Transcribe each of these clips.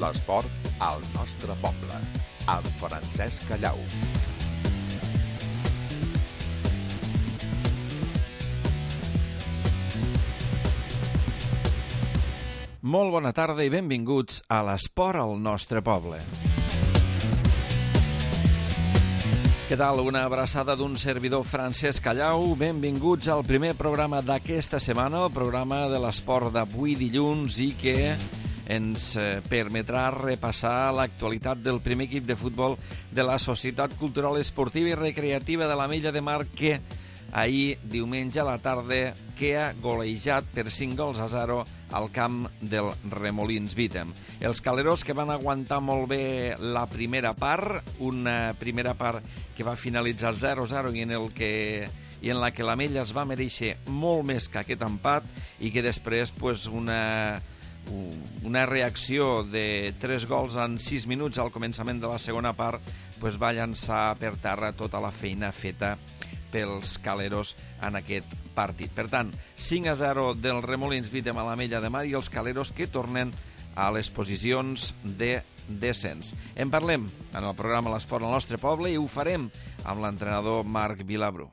L'esport al nostre poble, amb Francesc Callau. Molt bona tarda i benvinguts a l'esport al nostre poble. Què tal? Una abraçada d'un servidor Francesc Callau. Benvinguts al primer programa d'aquesta setmana, el programa de l'esport d'avui dilluns i que ens permetrà repassar l'actualitat del primer equip de futbol de la Societat Cultural Esportiva i Recreativa de l'Ametlla de Mar que ahir, diumenge a la tarda, queda golejat per 5-0 al camp del Remolins Vítem. Els caleros que van aguantar molt bé la primera part, una primera part que va finalitzar 0-0 i en la que l'Ametlla es va mereixer molt més que aquest empat i que després una reacció de 3 gols en 6 minuts al començament de la segona part va llançar per terra tota la feina feta pels caleros en aquest partit. Per tant, 5-0 del Remolins Vítem a l'Ametlla de Mar i els caleros que tornen a les posicions de descens. En parlem en el programa L'Esport al nostre poble i ho farem amb l'entrenador Marc Vilabrú.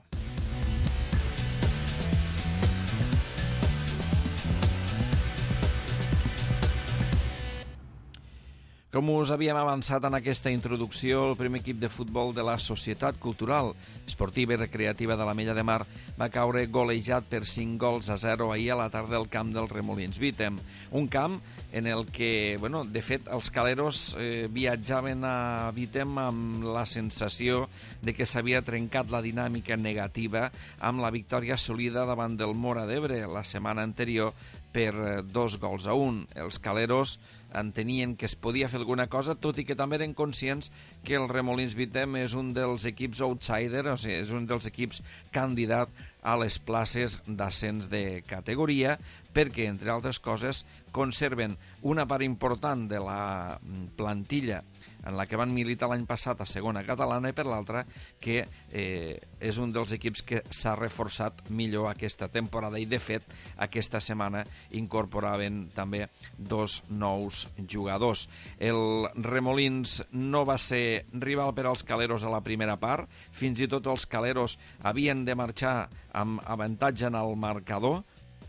Com us havíem avançat en aquesta introducció, el primer equip de futbol de la Societat Cultural Esportiva i Recreativa de l'Ametlla de Mar va caure golejat per 5-0 ahir a la tarda al camp del Remolins Vítem. Un camp en el que, de fet, els caleros viatjaven a Vítem amb la sensació de que s'havia trencat la dinàmica negativa amb la victòria assolida davant del Móra d'Ebre la setmana anterior per 2-1. Els caleros entenien que es podia fer alguna cosa, tot i que també eren conscients que el Remolins Vítem és un dels equips outsider, o sigui, és un dels equips candidat a les places d'ascens de categoria, perquè, entre altres coses, conserven una part important de la plantilla en la que van militar l'any passat a segona catalana i per l'altra que és un dels equips que s'ha reforçat millor aquesta temporada i de fet aquesta setmana incorporaven també 2 nous jugadors. El Remolins no va ser rival per als caleros a la primera part, fins i tot els caleros havien de marxar amb avantatge en el marcador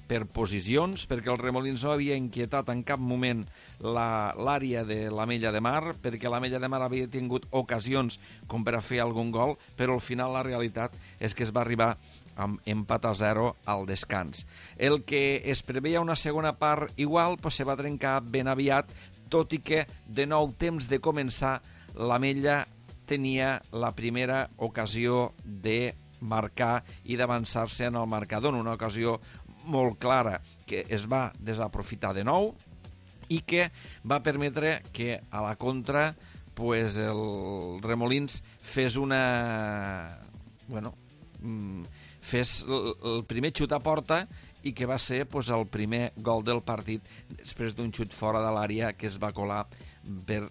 per posicions, perquè el Remolins no havia inquietat en cap moment l'àrea de l'Ametlla de Mar, perquè l'Ametlla de Mar havia tingut ocasions com per a fer algun gol, però al final la realitat és que es va arribar amb empat a 0 al descans. El que es preveia una segona part igual se va trencar ben aviat, tot i que de nou temps de començar l'Ametlla tenia la primera ocasió de marcar i d'avançar-se en el marcador, una ocasió molt clara que es va desaprofitar de nou i que va permetre que a la contra el Remolins fes fes el primer xut a porta i que va ser el primer gol del partit després d'un xut fora de l'àrea que es va colar per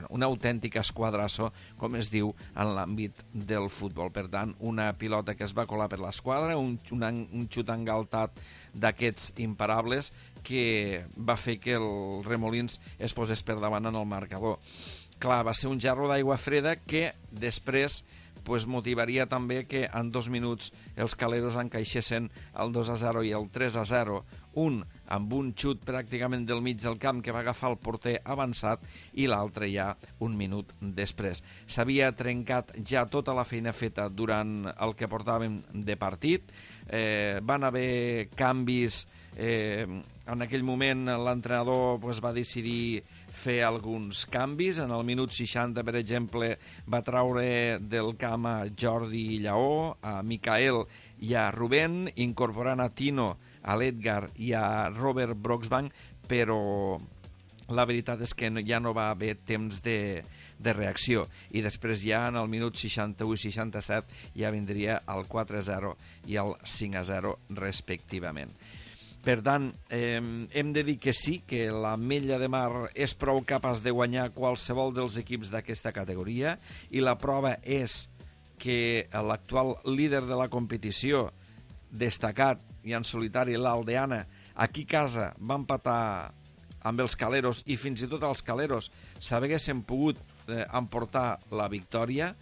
un autèntic esquadrasso, com es diu en l'àmbit del futbol. Per tant, una pilota que es va colar per l'esquadra, un xut engaltat d'aquests imparables que va fer que el Remolins es posés per davant en el marcador. Clar, va ser un gerro d'aigua freda que després motivaria també que en 2 minuts els caleros encaixessin el 2-0 i el 3-0, un amb un xut pràcticament del mig del camp que va agafar el porter avançat i l'altre ja un minut després. S'havia trencat ja tota la feina feta durant el que portàvem de partit, van haver canvis, en aquell moment l'entrenador va decidir fer alguns canvis. En el minut 60, per exemple, va traure del camp a Jordi Lleó, a Micael i a Rubén, incorporant a Tino, a l'Edgar i a Robert Broxbank, però la veritat és que ja no va haver temps de reacció i després ja en el minut 61 i 67 ja vindria el 4-0 i el 5-0 respectivament. Per tant, hem de dir que sí, que l'Ametlla de Mar és prou capaç de guanyar qualsevol dels equips d'aquesta categoria i la prova és que l'actual líder de la competició, destacat i en solitari l'Aldeana, aquí a casa va empatar amb els Caleros, i fins i tot els Caleros s'haguessin pogut emportar la victòria,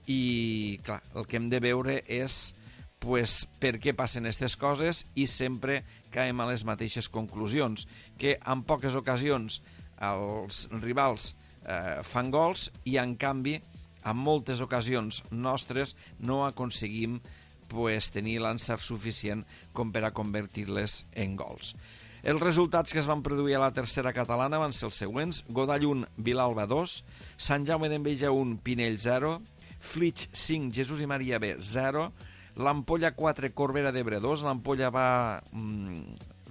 i clar, el que hem de veure és pues, per què passen aquestes coses, i sempre caiem a les mateixes conclusions, que en poques ocasions els rivals fan gols i en canvi en moltes ocasions nostres no aconseguim pues, tenir l'encert suficient com per a convertir-les en gols. Els resultats que es van produir a la tercera catalana van ser els següents: Godall 1, Vilalba 2, Sant Jaume d'Enveja 1, Pinell 0, Flix 5, Jesús i Maria B 0, l'Ampolla 4, Corbera d'Ebre 2, l'Ampolla va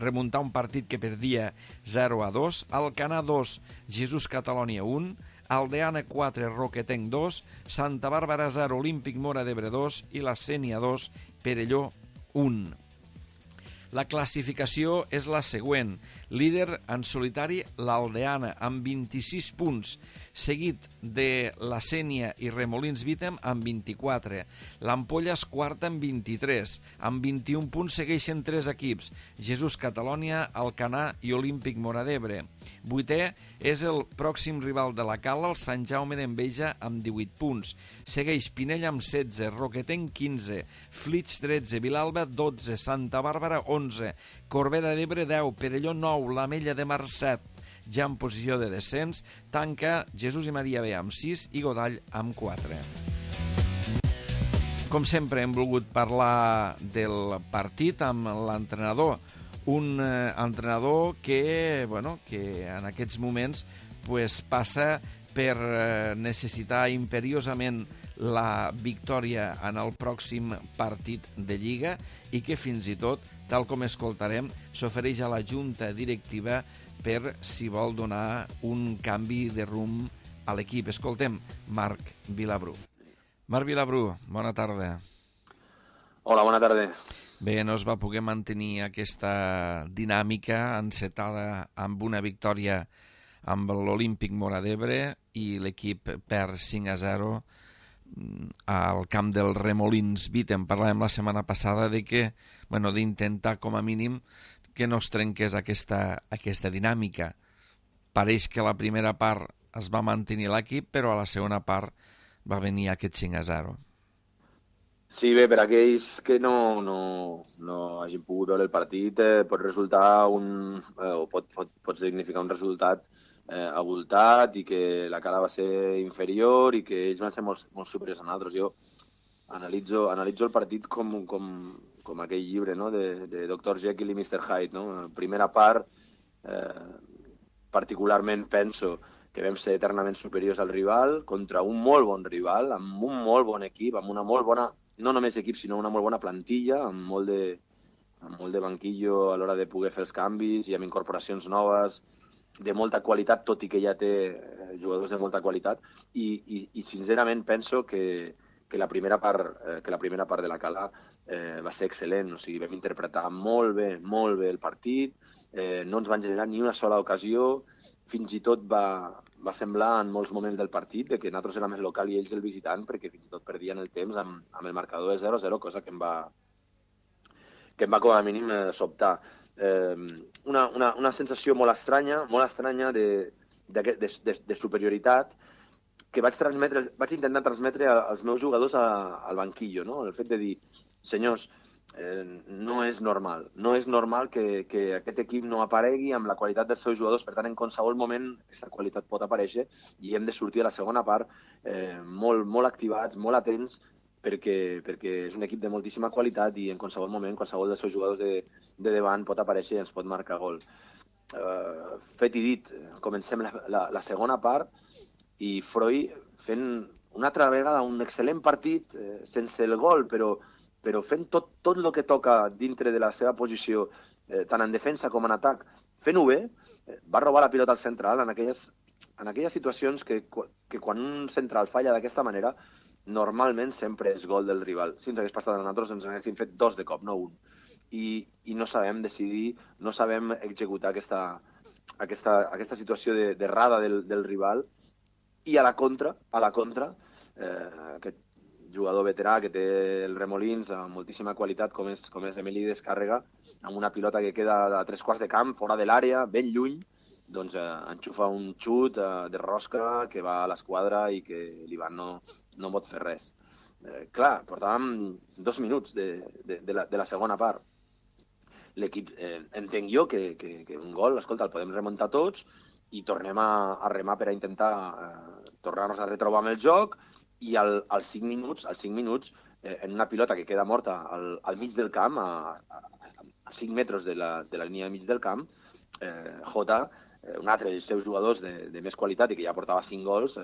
remuntar un partit que perdia 0-2, Alcanar 2, Jesús Catalònia 1, Aldeana 4, Roquetenc 2, Santa Bàrbara 0, Olímpic Mora d'Ebre 2 i la Sénia 2, Perelló 1. La classificació és la següent. Líder en solitari l'Aldeana amb 26 punts, seguit de la Sénia i Remolins Vítem amb 24. L'Ampolla és quarta amb 23. Amb 21 punts segueixen 3 equips: Jesús Catalònia, Alcanar i Olímpic Mora d'Ebre. Vuitè és el pròxim rival de la Cala, el Sant Jaume d'Enveja, amb 18 punts. Segueix Pinell amb 16, Roquetenc 15, Flix 13, Vilalba 12, Santa Bàrbara 11, Corbera d'Ebre 10, Perelló 9, l'Ametlla de Mar 7. Ja en posició de descens tanca Jesús i Maria B amb 6 i Godall amb 4. Com sempre hem volgut parlar del partit amb l'entrenador, un entrenador que en aquests moments passa per necessitar imperiosament la victòria en el pròxim partit de Lliga i que fins i tot, tal com escoltarem, s'ofereix a la Junta Directiva per si vol donar un canvi de rumb a l'equip. Escoltem Marc Vilabrú. Marc Vilabrú, bona tarda. Hola, bona tarda. Bé, no es va poder mantenir aquesta dinàmica encetada amb una victòria amb l'Olímpic Mora d'Ebre i l'equip perd 5-0 al camp del Remolins Vítem. Parlàvem la setmana passada d'intentar com a mínim que no es trenqués aquesta dinàmica. Pareix que la primera part es va mantenir l'equip, però a la segona part va venir aquest 5-0. Sí, bé, per aquells que no hagin pogut veure el partit, pot resultar pot significar un resultat abultat i que la Cala va ser inferior i que ells van ser molt superiors a nosaltres. Jo analitzo el partit com aquell llibre, no?, de Dr. Jekyll i Mr. Hyde, no? Primera part, particularment penso que vam ser eternament superiors al rival contra un molt bon rival, amb un molt bon equip, amb una molt bona, no només equip, sinó una molt bona plantilla, amb molt de banquillo a l'hora de poder fer els canvis i amb incorporacions noves de molta qualitat, tot i que ja té jugadors de molta qualitat, i sincerament penso que la primera part de la Cala va ser excel·lent. O sigui, vam interpretar molt bé el partit, no ens van generar ni una sola ocasió, fins i tot va semblar en molts moments del partit que nosaltres érem el local i ells el visitant, perquè fins i tot perdien el temps amb el marcador de 0-0, cosa que em va com a mínim sobtar. Una sensació molt estranya de superioritat que vaig intentar transmetre als meus jugadors al banquillo, no? El fet de dir, senyors, no és normal que aquest equip no aparegui amb la qualitat dels seus jugadors. Per tant, en qualsevol moment aquesta qualitat pot aparèixer i hem de sortir a la segona part molt activats, molt atents, perquè és un equip de moltíssima qualitat i en qualsevol moment qualsevol dels seus jugadors de davant pot aparèixer i ens pot marcar gol. Fet i dit, comencem la segona part i Freud fent una altra vegada un excel·lent partit sense el gol, però fent tot el que toca dintre de la seva posició, tant en defensa com en atac, fent-ho bé. Va robar la pilota al central en aquelles situacions que quan un central falla d'aquesta manera, normalment sempre és gol del rival. Si ens hagués passat a nosaltres ens haguéssim fet 2 de cop, no 1. I no sabem decidir, no sabem executar aquesta situació d'errada del rival. I a la contra, aquest jugador veterà que té el Remolins amb moltíssima qualitat com és Emili Descàrrega, amb una pilota que queda a 3/4 de camp, fora de l'àrea, ben lluny, doncs enxufa un xut de rosca que va a l'esquadra i que l'Ivan no pot fer res. Clar, portàvem 2 minuts de la segona part. L'equip, entenc jo que un gol, escolta, el podem remuntar tots i tornem a remar per a intentar tornar-nos a retrobar amb el joc i als 5 minuts, en una pilota que queda morta al mig del camp, a 5 metres de la línia de mig del camp, Jota, un altre dels seus jugadors de més qualitat i que ja portava 5 gols,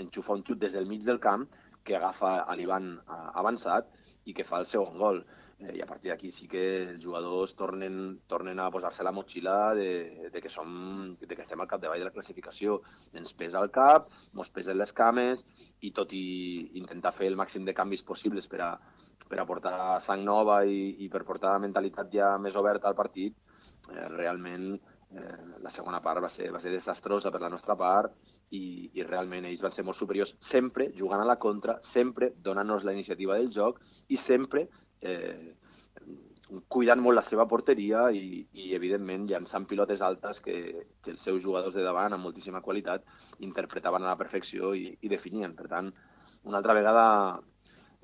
enxufa un xut des del mig del camp que agafa a l'Ivan avançat i que fa el segon gol. I a partir d'aquí sí que els jugadors tornen a posar-se la motxilla de que estem al capdavall de la classificació. Ens pesa el cap, ens pesen les cames i tot i intentar fer el màxim de canvis possibles per a portar sang nova i per portar mentalitat ja més oberta al partit, realment la segona part va ser desastrosa per la nostra part i realment ells van ser molt superiors, sempre jugant a la contra, sempre donant-nos la iniciativa del joc i sempre cuidant molt la seva porteria i evidentment llançant pilotes altes que els seus jugadors de davant amb moltíssima qualitat interpretaven a la perfecció i definien. Per tant, una altra vegada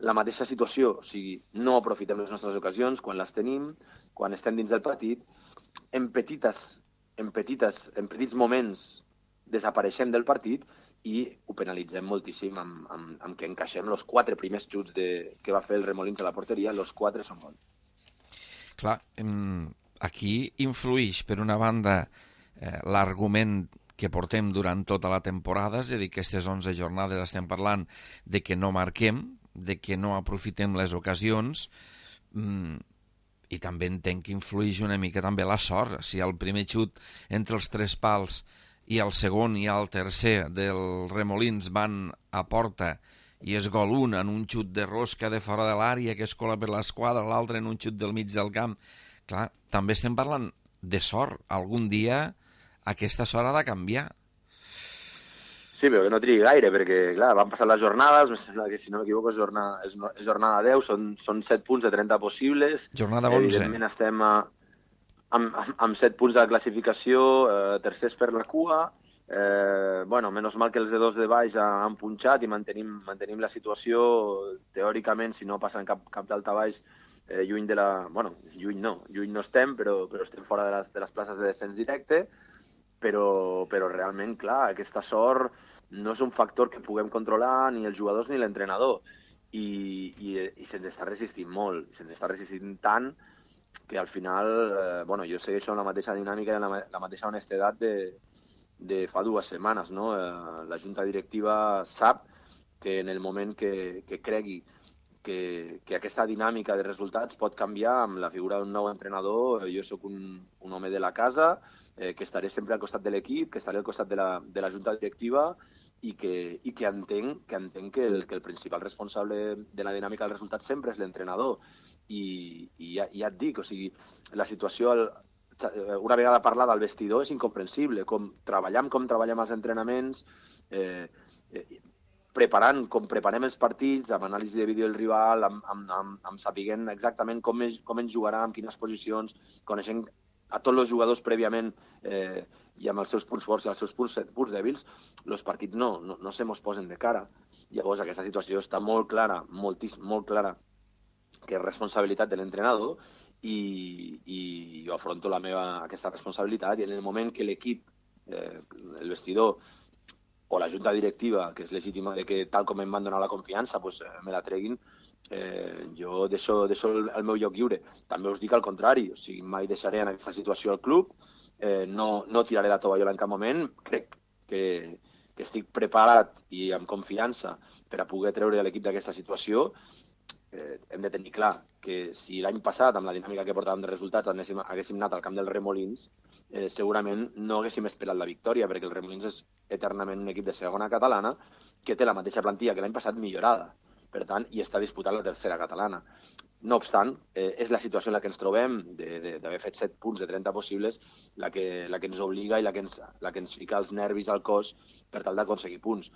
la mateixa situació, o sigui, no aprofitem les nostres ocasions quan les tenim, quan estem dins del partit, en petits moments desapareixem del partit i ho penalitzem moltíssim amb que encaixem els 4 primers xuts que va fer el Remolins a la porteria, els 4 són gol. Clar, aquí influeix, per una banda, l'argument que portem durant tota la temporada, és a dir, que aquestes 11 jornades estem parlant de que no marquem, de que no aprofitem les ocasions, i també entenc que influeix una mica també la sort. Si el primer xut entre els 3 pals i el segon i el tercer del Remolins van a porta i és gol un en un xut de rosca de fora de l'àrea que es cola per l'esquadra, l'altre en un xut del mig del camp. Clar, també estem parlant de sort. Algun dia aquesta sort ha de canviar. Sí, però que no trigui gaire, perquè, clar, van passar les jornades, que, si no m'equivoco, és jornada 10, són 7 punts de 30 possibles. Jornada 11. Evidentment estem amb 7 punts de la classificació, tercers per la cua. Menys mal que els de 2 de baix han punxat i mantenim la situació, teòricament, si no passen cap d'alta baix, lluny no estem, però estem fora de les places de descens directe, però realment, clar, aquesta sort no és un factor que puguem controlar ni els jugadors ni l'entrenador, i se'ns està resistint molt, se'ns està resistint tant que al final, jo segueixo amb la mateixa dinàmica i la mateixa honestedat de fa 2 setmanes, no? La junta directiva sap que en el moment que cregui que aquesta dinàmica de resultats pot canviar amb la figura d'un nou entrenador. Jo sóc un home de la casa, que estaré sempre al costat de l'equip, que estaré al costat de la junta directiva i que entenc que el principal responsable de la dinàmica del resultat sempre és l'entrenador. I ja et dic, o sigui, la situació una vegada parlada al vestidor és incomprensible, com treballem els entrenaments, preparant com preparem els partits, amb anàlisi de vídeo del rival, amb sapiguent exactament com ens jugarà, en quines posicions, coneixent a tots els jugadors prèviament i amb els seus punts forts i els seus punts dèbils, els partits no se mos posen de cara. Llavors aquesta situació està molt clara, molt clara, que és responsabilitat de l'entrenador, i jo afronto aquesta responsabilitat, i en el moment que l'equip, el vestidor o la junta directiva, que és legítima de que tal com em van donar la confiança me la treguin, jo deixo el meu lloc lliure. També us dic al contrari, o sigui, mai deixaré en aquesta situació el club, no tiraré la tovallola en cap moment. Crec que estic preparat i amb confiança per a poder treure l'equip d'aquesta situació. Hem de tenir clar que si l'any passat, amb la dinàmica que portàvem de resultats, haguéssim anat al camp del Remolins, segurament no haguéssim esperat la victòria, perquè el Remolins és eternament un equip de segona catalana que té la mateixa plantilla que l'any passat millorada, per tant, i està disputant la tercera catalana. No obstant, és la situació en la que ens trobem, d'haver fet 7 punts de 30 possibles, la que ens obliga i la que ens fica els nervis al cos per tal d'aconseguir punts.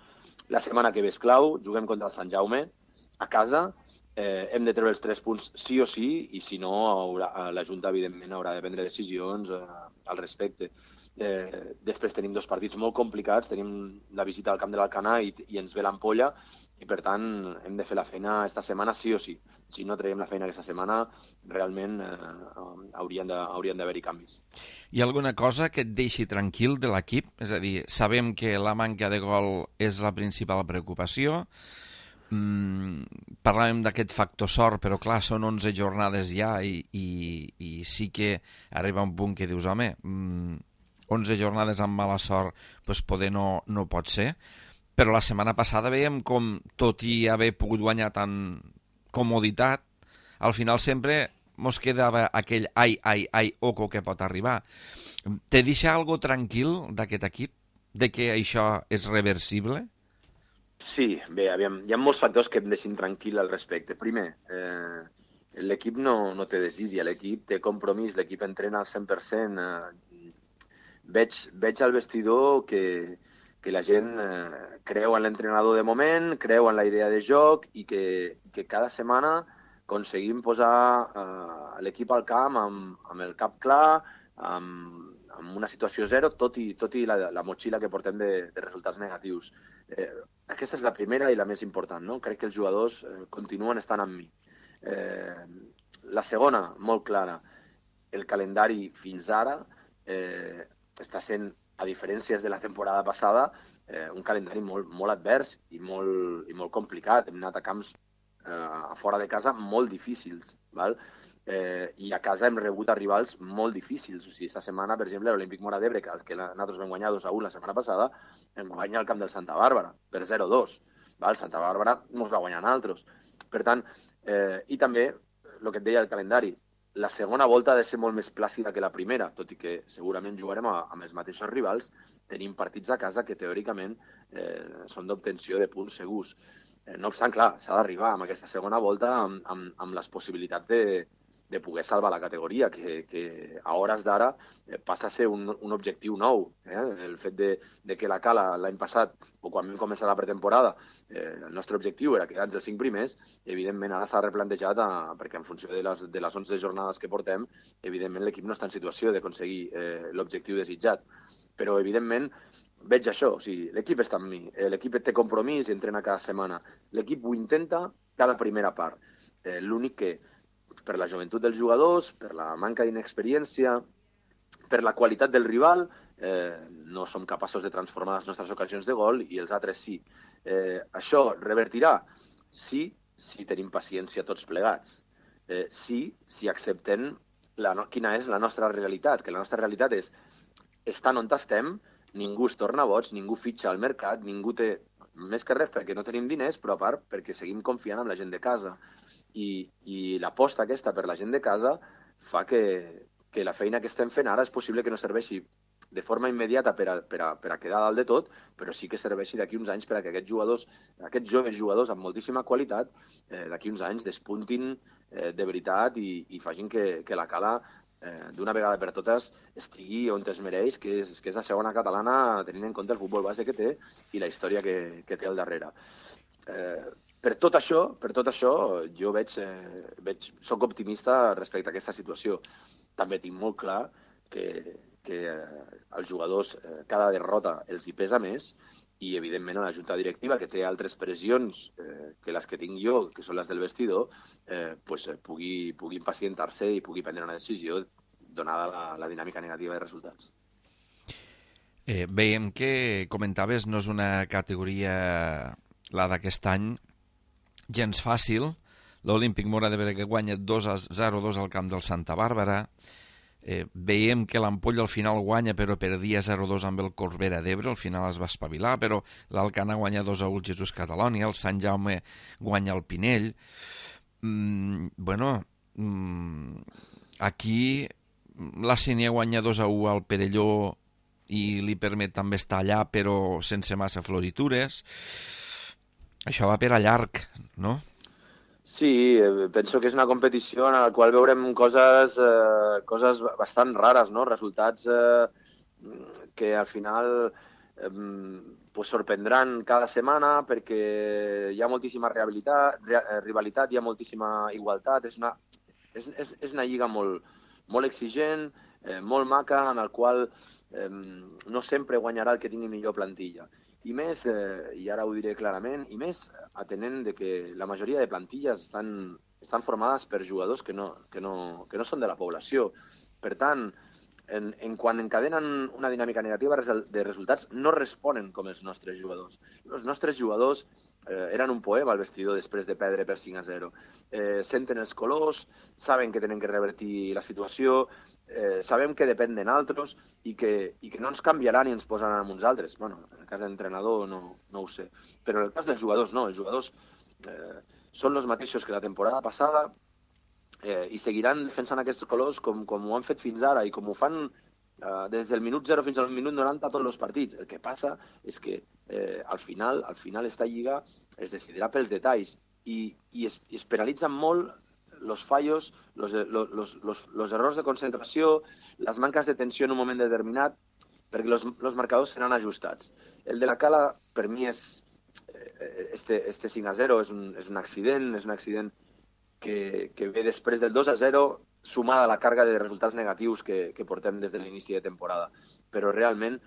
La setmana que ve és clau, juguem contra el Sant Jaume, a casa, hem de treure els 3 punts sí o sí, i si no, la Junta, evidentment, haurà de prendre decisions al respecte. Després tenim 2 partits molt complicats, tenim la visita al camp de l'Alcanar i ens ve l'Ampolla, i per tant hem de fer la feina esta setmana sí o sí. Si no traiem la feina aquesta setmana, realment haurien d'haver-hi canvis. Hi ha alguna cosa que et deixi tranquil de l'equip? És a dir, sabem que la manca de gol és la principal preocupació. Parlàvem d'aquest factor sort, però clar, són 11 jornades ja i sí que arriba un punt que dius, home, 11 jornades amb mala sort doncs poder no pot ser, però la setmana passada veiem com, tot i haver pogut guanyar tant comoditat, al final sempre mos quedava aquell oco que pot arribar. Te deixa algo tranquil d'aquest equip? De que això és reversible? Sí, bé, aviam, hi ha molts factors que em deixin tranquil al respecte. Primer, l'equip no té desídia, l'equip té compromís, l'equip entrena al 100%. Veig al vestidor que la gent creu en l'entrenador de moment, creu en la idea de joc i que cada setmana aconseguim posar l'equip al camp amb el cap clar, amb una situació zero, tot i la motxilla que portem de resultats negatius. Aquesta és la primera i la més important, no? Crec que els jugadors continuen estant amb mi. La segona, molt clara, el calendari fins ara està sent, a diferències de la temporada passada, un calendari molt advers i molt complicat. Hem anat a camps a fora de casa molt difícils, val? I a casa hem rebut a rivals molt difícils. O sigui, esta setmana, per exemple, l'Olímpic Móra d'Ebre, que nosaltres vam guanyar 2-1 la setmana passada, hem guanyat al camp del Santa Bàrbara per 0-2. Val? Santa Bàrbara ens va guanyar nosaltres. Per tant, i també, el que et deia el calendari, la segona volta ha de ser molt més plàcida que la primera, tot i que segurament jugarem amb els mateixos rivals. Tenim partits a casa que teòricament són d'obtenció de punts segurs. No obstant, clar, s'ha d'arribar amb aquesta segona volta amb les possibilitats de poder salvar la categoria, que a hores d'ara passa a ser un objectiu nou. El fet de que la Cala l'any passat, o quan vam començar la pretemporada, el nostre objectiu era quedar entre els 5 primers, evidentment ara s'ha replantejat perquè en funció de les 11 jornades que portem, evidentment l'equip no està en situació d'aconseguir l'objectiu desitjat. Però, evidentment, veig això, o sigui, l'equip està amb mi, l'equip té compromís i entrena cada setmana. L'equip ho intenta cada primera part. L'únic que, per la joventut dels jugadors, per la manca d'inexperiència, per la qualitat del rival, no som capaços de transformar les nostres ocasions de gol i els altres sí. Això revertirà? Sí, si tenim paciència tots plegats. Sí, si acceptem quina és la nostra realitat, que la nostra realitat és estant on estem, ningú es torna boig, ningú fitxa al mercat, ningú té, més que res perquè no tenim diners, però a part perquè seguim confiant en la gent de casa. I l'aposta aquesta per la gent de casa fa que la feina que estem fent ara és possible que no serveixi de forma immediata per a quedar dalt de tot, però sí que serveixi d'aquí uns anys per a que aquests joves jugadors amb moltíssima qualitat d'aquí uns anys despuntin de veritat i facin que la Cala d'una vegada per totes estigui on es mereix, que és la segona catalana, tenint en compte el futbol base que té i la història que té al darrere. Per tot això, jo soc optimista respecte a aquesta situació. També tinc molt clar que als jugadors cada derrota els hi pesa més i, evidentment, a la junta directiva, que té altres pressions que les que tinc jo, que són les del vestidor, pugui impacientar-se i pugui prendre una decisió donada la dinàmica negativa de resultats. Veiem que comentaves, no és una categoria, la d'aquest any, gens fàcil. L'Olímpic Móra d'Ebre que guanya 2-0-2 al camp del Santa Bàrbara. Veiem que l'Ampolla al final guanya, però perdia 0-2 amb el Corbera d'Ebre, al final es va espavilar, però l'Alcanar guanya 2-1 al Jesús Catalònia, el Sant Jaume guanya el Pinell. Aquí la Sénia guanya 2-1 al Perelló i li permet també estar allà, però sense massa floritures. Això va per a llarg, no? Sí, penso que és una competició en la qual veurem coses bastant rares, no? Resultats que al final sorprendran cada setmana perquè hi ha moltíssima rivalitat, hi ha moltíssima igualtat. És una lliga molt molt exigent, molt maca, en el qual no sempre guanyarà el que tingui millor plantilla. I més, i ara ho diré clarament, i més atenent de que la majoria de plantilles estan formades per jugadors que no són de la població. Per tant, quan encadenen una dinàmica negativa de resultats, no responen com els nostres jugadors. Els nostres jugadors eren un poema al vestidor després de perdre per 5-0. Senten els colors, saben que tenen que revertir la situació, sabem que depèn de nosaltres i que no ens canviaran i ens posaran amb uns altres. Bueno, en el cas de l'entrenador no ho sé. Però en el cas dels jugadors no. Els jugadors són els mateixos que la temporada passada, i seguiran defensant aquests colors com ho han fet fins ara i com ho fan des del minut 0 fins al minut 90 a tots els partits. El que passa és que al final esta lliga es decidirà pels detalls i es penalitzen molt els fallos, els errors de concentració, les manques de tensió en un moment determinat, perquè els marcadors seran ajustats. El de la Cala, per mi, este 5-0 és un accident que ve després del 2-0, sumada a la càrrega de resultats negatius que portem des de l'inici de temporada. Però realment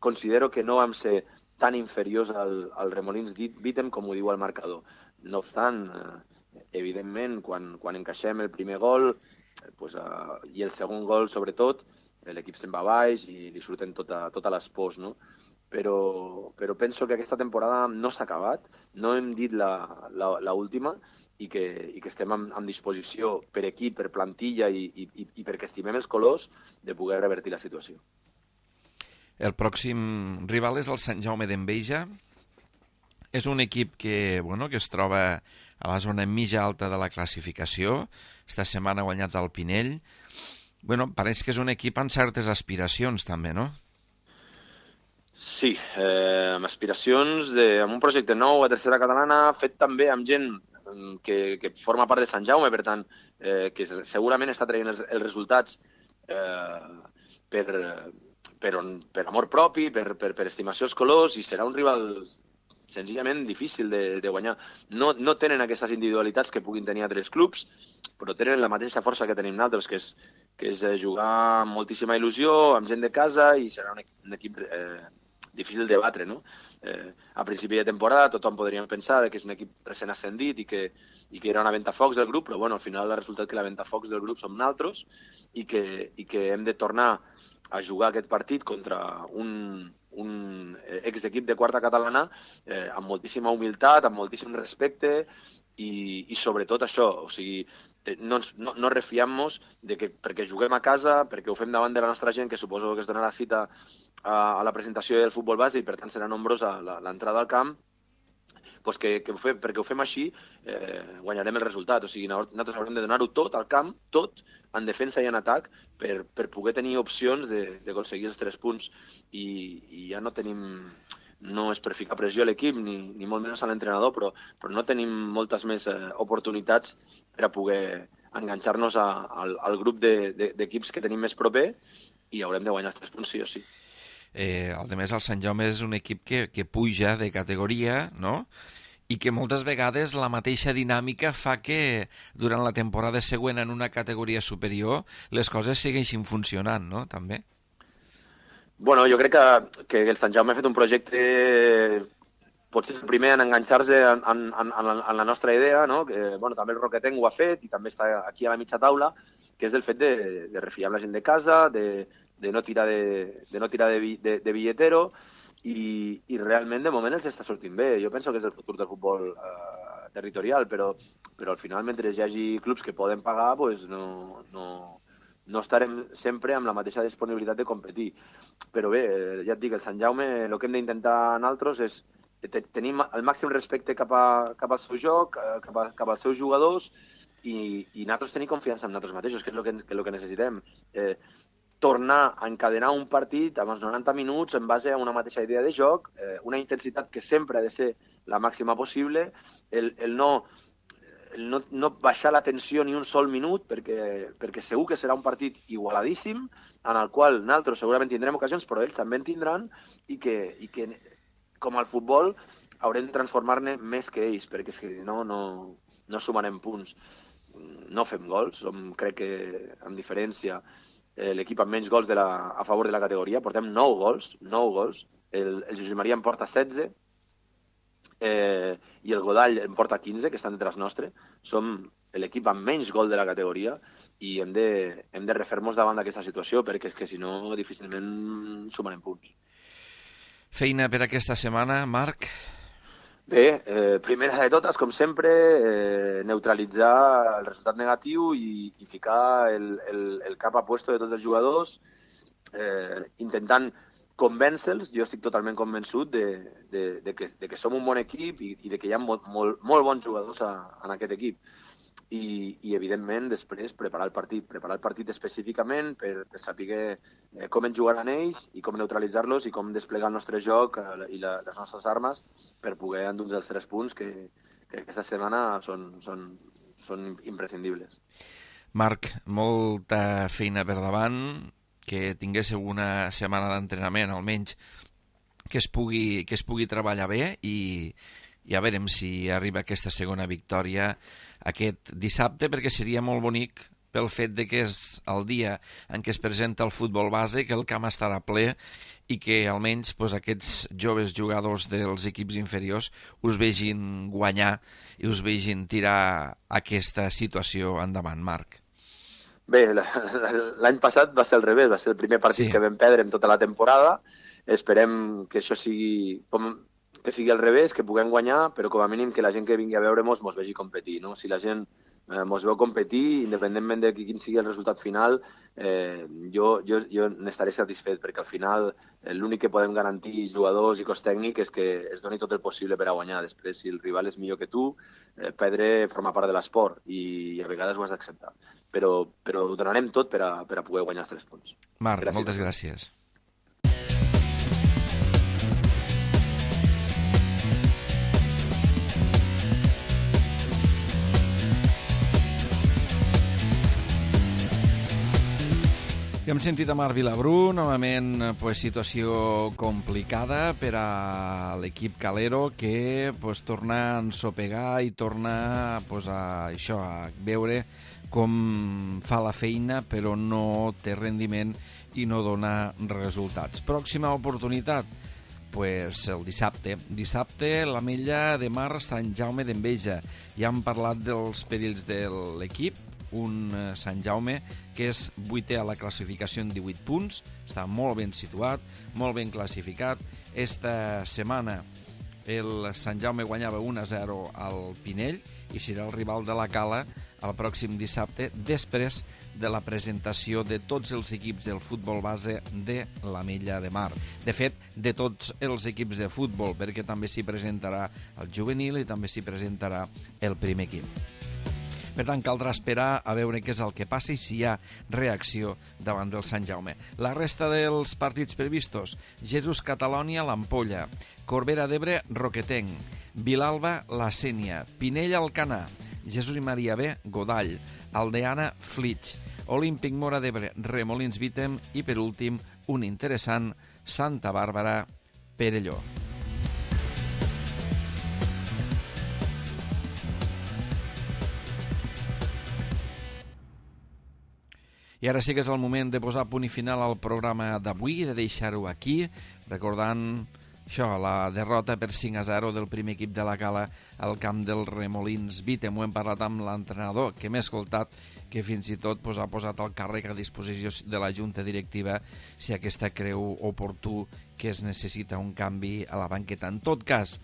considero que no vam ser tan inferiors al Remolins Bítem com ho diu el marcador. No obstant, evidentment, quan encaixem el primer gol i el segon gol, sobretot, l'equip se'n va baix i li surten totes les pors, no? Però penso que aquesta temporada no s'ha acabat, no hem dit l'última i que estem en disposició per equip, per plantilla i perquè estimem els colors de poder revertir la situació. El pròxim rival és el Sant Jaume d'Enveja. És un equip que es troba a la zona mitja alta de la classificació. Esta setmana ha guanyat el Pinell. Pareix que és un equip amb certes aspiracions també, no? Sí, amb aspiracions amb un projecte nou a tercera catalana, fet també amb gent que forma part de Sant Jaume, per tant, que segurament està traient els resultats per amor propi, per estimació als colors, i serà un rival senzillament difícil de guanyar. No tenen aquestes individualitats que puguin tenir altres clubs, però tenen la mateixa força que tenim nosaltres, que és jugar amb moltíssima il·lusió, amb gent de casa, i serà un equip difícil de batre, no? A principi de temporada tothom podríem pensar que és un equip recent ascendit i que era una ventafocs del grup, però al final ha resultat que la ventafocs del grup som nosaltres i que hem de tornar a jugar aquest partit contra un exequip de quarta catalana amb moltíssima humilitat, amb moltíssim respecte i sobretot això, o sigui, no refiem-nos de que perquè juguem a casa, perquè ho fem davant de la nostra gent, que suposo que es donarà cita a la presentació del futbol base i per tant serà nombrosa l'entrada al camp, perquè ho fem així guanyarem el resultat. O sigui, nosaltres haurem de donar-ho tot al camp, tot, en defensa i en atac, per poder tenir opcions d'aconseguir els 3 punts. I ja no tenim... No és per ficar pressió a l'equip, ni molt menys a l'entrenador, però no tenim moltes més oportunitats per a poder enganxar-nos al grup d'equips que tenim més proper i haurem de guanyar els 3 punts sí o sí. A més, el Sant Jaume és un equip que puja de categoria, no? I que moltes vegades la mateixa dinàmica fa que durant la temporada següent en una categoria superior les coses segueixin funcionant, no? També. Bueno, jo crec que el Sant Jaume ha fet un projecte potser el primer en enganxar-se en la nostra idea, no? Que, també el Roquetenc ho ha fet i també està aquí a la mitja taula, que és el fet de refiar la gent de casa, de no tirar de billetero i realment de moment els està sortint bé. Jo penso que és el futur del futbol territorial, però al final mentre hi hagi clubs que poden pagar, pues no estarem sempre amb la mateixa disponibilitat de competir. Però bé, ja et dic, el Sant Jaume el que hem d'intentar nosaltres és tenir el màxim respecte cap al seu joc, cap als seus jugadors i nosaltres tenir confiança en nosaltres mateixos, que és el que necessitem. Tornar a encadenar un partit amb els 90 minuts en base a una mateixa idea de joc, una intensitat que sempre ha de ser la màxima possible, el no baixar la tensió ni un sol minut, perquè segur que serà un partit igualadíssim, en el qual nosaltres segurament tindrem ocasions, però ells també en tindran, i que com al futbol haurem de transformar-ne més que ells, perquè si no sumarem punts. no fem gols, crec que amb diferència l'equip amb menys gols a favor de la categoria, portem 9 gols, el Josep Maria en porta 16 i el Godall en porta 15, que estan detrás nostre. Som l'equip amb menys gol de la categoria i hem de refer-nos davant d'aquesta situació, perquè és que si no difícilment sumarem punts. Feina per aquesta setmana, Marc? Bé, primera de totes, com sempre, neutralitzar el resultat negatiu i ficar el cap a puesto de tots els jugadors, intentant convèncer-los. Jo estic totalment convençut de que som un bon equip i de que hi ha molt bons jugadors en aquest equip. I evidentment, després, preparar el partit específicament per saber com ens jugaran ells i com neutralitzar-los i com desplegar el nostre joc i les nostres armes per poder endur els 3 punts que aquesta setmana són imprescindibles. Marc, molta feina per davant, que tinguéssiu una setmana d'entrenament, almenys que es pugui treballar bé i ja veurem si arriba aquesta segona victòria aquest dissabte, perquè seria molt bonic pel fet de que és el dia en què es presenta el futbol base, que el camp estarà ple i que almenys aquests joves jugadors dels equips inferiors us vegin guanyar i us vegin tirar aquesta situació endavant, Marc. Bé, l'any passat va ser al revés, va ser el primer partit que vam perdre en tota la temporada. Esperem que això sigui al revés, que puguem guanyar, però com a mínim que la gent que vingui a veure-mos mos vegi competir, no? Si la gent mos veu competir, independentment de quin sigui el resultat final, jo n'estaré satisfet, perquè al final l'únic que podem garantir jugadors i cos tècnic és que es doni tot el possible per a guanyar. Després, si el rival és millor que tu, perdre forma part de l'esport i a vegades ho has d'acceptar. Però ho donarem tot per a poder guanyar els 3 punts. Marc, moltes gràcies. Hem sentit a Marc Vilabrú, novament situació complicada per a l'equip calero, que torna a ensopegar i torna a veure com fa la feina però no té rendiment i no dona resultats. Pròxima oportunitat, el dissabte. Dissabte, l'Ametlla de Mar, Sant Jaume d'Enveja. Ja hem parlat dels perills de l'equip, un Sant Jaume que és 8è a la classificació en 18 punts, està molt ben situat, molt ben classificat. Esta setmana el Sant Jaume guanyava 1-0 al Pinell i serà el rival de la Cala el pròxim dissabte, després de la presentació de tots els equips del futbol base de l'Ametlla de Mar. De fet, de tots els equips de futbol, perquè també s'hi presentarà el juvenil i també s'hi presentarà el primer equip. Per tant, caldrà esperar a veure què és el que passa i si hi ha reacció davant del Sant Jaume. La resta dels partits previstos: Jesús Catalònia, l'Ampolla; Corbera d'Ebre, Roquetenc; Vilalba, la Sénia; Pinell, Alcanar; Jesús i Maria B, Godall; Aldeana, Flix; Olímpic Mora d'Ebre, Remolins Vítem i, per últim, un interessant, Santa Bàrbara, Perelló. I ara sí que és el moment de posar punt i final al programa d'avui, de deixar-ho aquí, recordant la derrota per 5-0 del primer equip de la Cala al camp del Remolins Vítem. Ho hem parlat amb l'entrenador, que m'ha escoltat, que fins i tot ha posat el càrrec a disposició de la Junta Directiva si aquesta creu oportú que es necessita un canvi a la banqueta. En tot cas,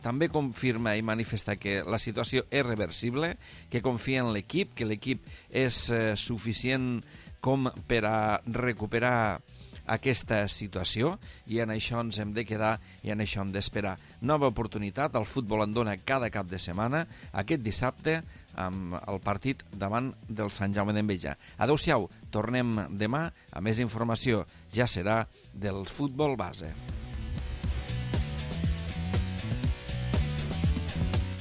també confirma i manifesta que la situació és reversible, que confia en l'equip, que l'equip és suficient com per a recuperar aquesta situació, i en això ens hem de quedar i en això hem d'esperar. Nova oportunitat, el futbol en dona cada cap de setmana, aquest dissabte amb el partit davant del Sant Jaume d'Enveja. Adéu-siau, tornem demà a més informació, ja serà del futbol base.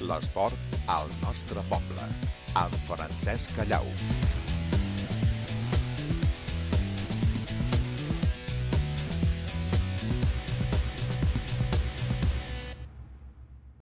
L'esport al nostre poble, amb Francesc Callau.